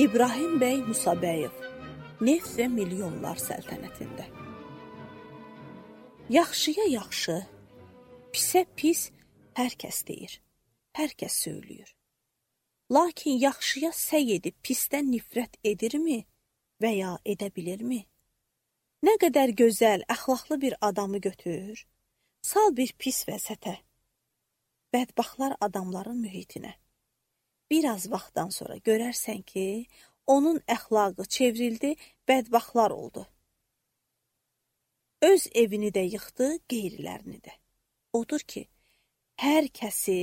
İbrahim bəy Musabəyev, Neft və Milyonlar səltənətində. Yaxşıya yaxşı, pisə pis hər kəs deyir, hər kəs söylüyor. Lakin yaxşıya səy edib pisdən nifrət edirmi və ya edə bilirmi? Nə qədər gözəl, əxlaqlı bir adamı götür, sal bir pis vəziyyətə, bədbaxtlar adamların mühitinə. Bir az vaxtdan sonra görərsən ki, onun əxlaqı çevrildi, bədbaxtlar oldu. Öz evini də yıxdı, qeyrilərini də. Odur ki, hər kəsi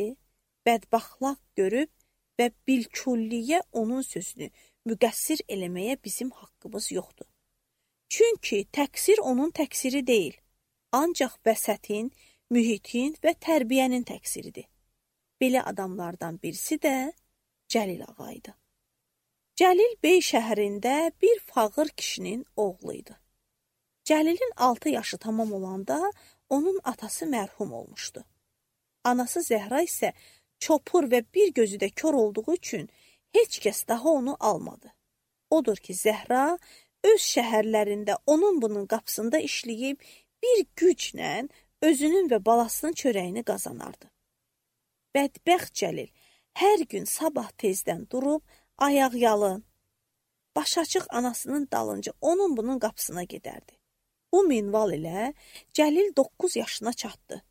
bədbaxtlaq görüb və bilkülliyə onun sözünü müqəssir eləməyə bizim haqqımız yoxdur. Çünki təqsir onun təqsiri deyil, ancaq vəsətin, mühitin və tərbiyənin təqsiridir. Belə adamlardan birisi də Cəlil ağaydı. Cəlil Bey şəhərində bir fağır kişinin oğluydu. Cəlilin 6 yaşı tamam olanda onun atası mərhum olmuşdu. Anası Zəhra isə çopur və bir gözü də kör olduğu üçün heç kəs daha onu almadı. Odur ki, Zəhra öz şəhərlərində onun bunun qapısında işləyib bir güclə özünün və balasının çörəyini qazanardı. Bədbəxt Cəlil hər gün sabah tezdən durub ayaq yalın, baş açıq anasının dalınca onun bunun qapısına gedərdi. Bu minval ilə Cəlil 9 yaşına çatdı.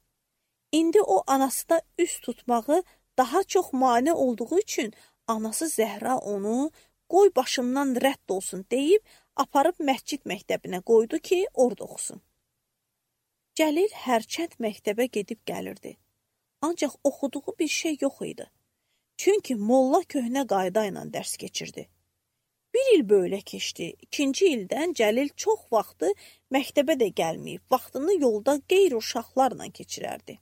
İndi o anası da üst tutmağı daha çox mane olduğu üçün anası Zəhra onu qoy başımdan rədd olsun deyib aparıb məscid məktəbinə qoydu ki, orada oxusun. Cəlil hərçənd məktəbə gedib gəlirdi. Ancaq oxuduğu bir şey yox idi. Çünki molla köhnə qayda ilə dərs keçirdi. Bir il belə keçdi. 2-ci ildən Cəlil çox vaxtı məktəbə də gəlməyib, vaxtını yolda qeyri-uşaqlarla keçirərdi.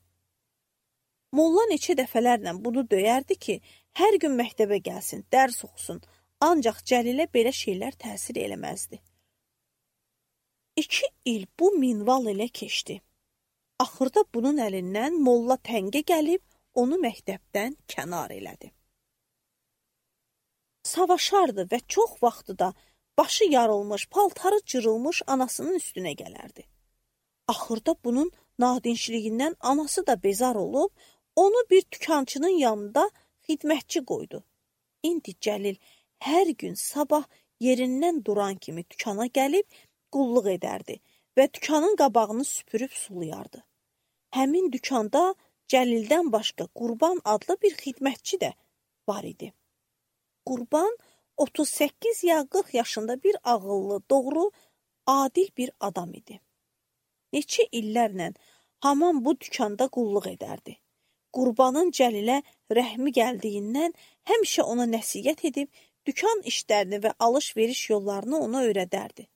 Molla neçə dəfələrlə bunu döyərdi ki, hər gün məktəbə gəlsin, dərs oxusun, ancaq Cəlilə belə şeylər təsir eləməzdi. 2 il bu minval ilə keçdi. Axırda bunun əlindən molla təngə gəlib, onu məktəbdən kənar elədi. Savaşardı və çox vaxtı da başı yarılmış, paltarı cırılmış anasının üstünə gələrdi. Axırda bunun nadinçliyindən anası da bezar olub, onu bir dükançının yanında xidmətçi qoydu. İndi Cəlil hər gün sabah yerindən duran kimi dükana gəlib qulluq edərdi və dükanın qabağını süpürüb sulayardı. Həmin dükanda Cəlildən başqa Qurban adlı bir xidmətçi də var idi. Qurban 38 ya 40 yaşında bir ağıllı, doğru, adil bir adam idi. Neçə illərlə haman bu dükanda qulluq edərdi. Qurbanın Cəlilə rəhmi gəldiyindən həmişə ona nəsiyyət edib, dükan işlərini və alış-veriş yollarını ona öyrədərdi.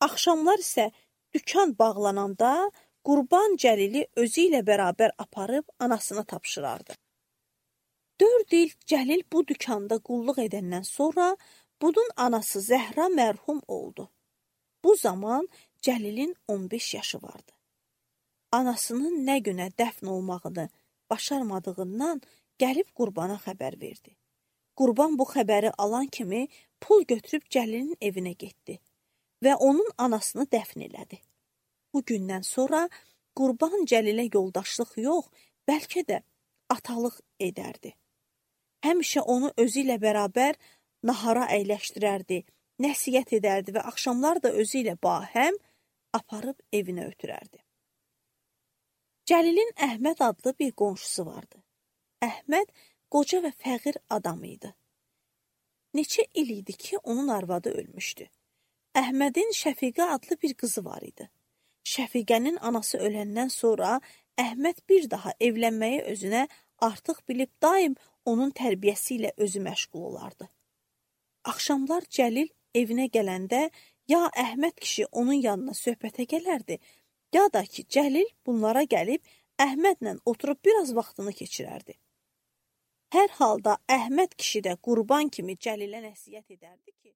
Axşamlar isə dükan bağlananda Qurban Cəlili özü ilə bərabər aparıb anasına tapşırardı. 4 il Cəlil bu dükanda qulluq edəndən sonra bunun anası Zəhra mərhum oldu. Bu zaman Cəlilin 15 yaşı vardı. Anasının nə günə dəfn olmağını başarmadığından gəlib Qurbana xəbər verdi. Qurban bu xəbəri alan kimi pul götürüb Cəlilin evinə getdi və onun anasını dəfn elədi. Bu gündən sonra Qurban Cəlilə yoldaşlıq yox, bəlkə də atalıq edərdi. Həmişə onu özü ilə bərabər nahara əyləşdirərdi, nəsiyyət edərdi və axşamlar da özü ilə bahəm aparıb evinə ötürərdi. Cəlilin Əhməd adlı bir qonşusu vardı. Əhməd qoca və fəqir adam idi. Neçə il idi ki, onun arvadı ölmüşdü. Əhmədin Şəfiqə adlı bir qızı var idi. Şəfiqənin anası öləndən sonra Əhməd bir daha evlənməyi özünə artıq bilib daim onun tərbiyəsi ilə özü məşğul olardı. Axşamlar Cəlil evinə gələndə ya Əhməd kişi onun yanına söhbətə gələrdi, ya da ki, Cəlil bunlara gəlib Əhmədlə oturub biraz vaxtını keçirərdi. Hər halda Əhməd kişi də Qurban kimi Cəlilə nəsiyyət edərdi ki,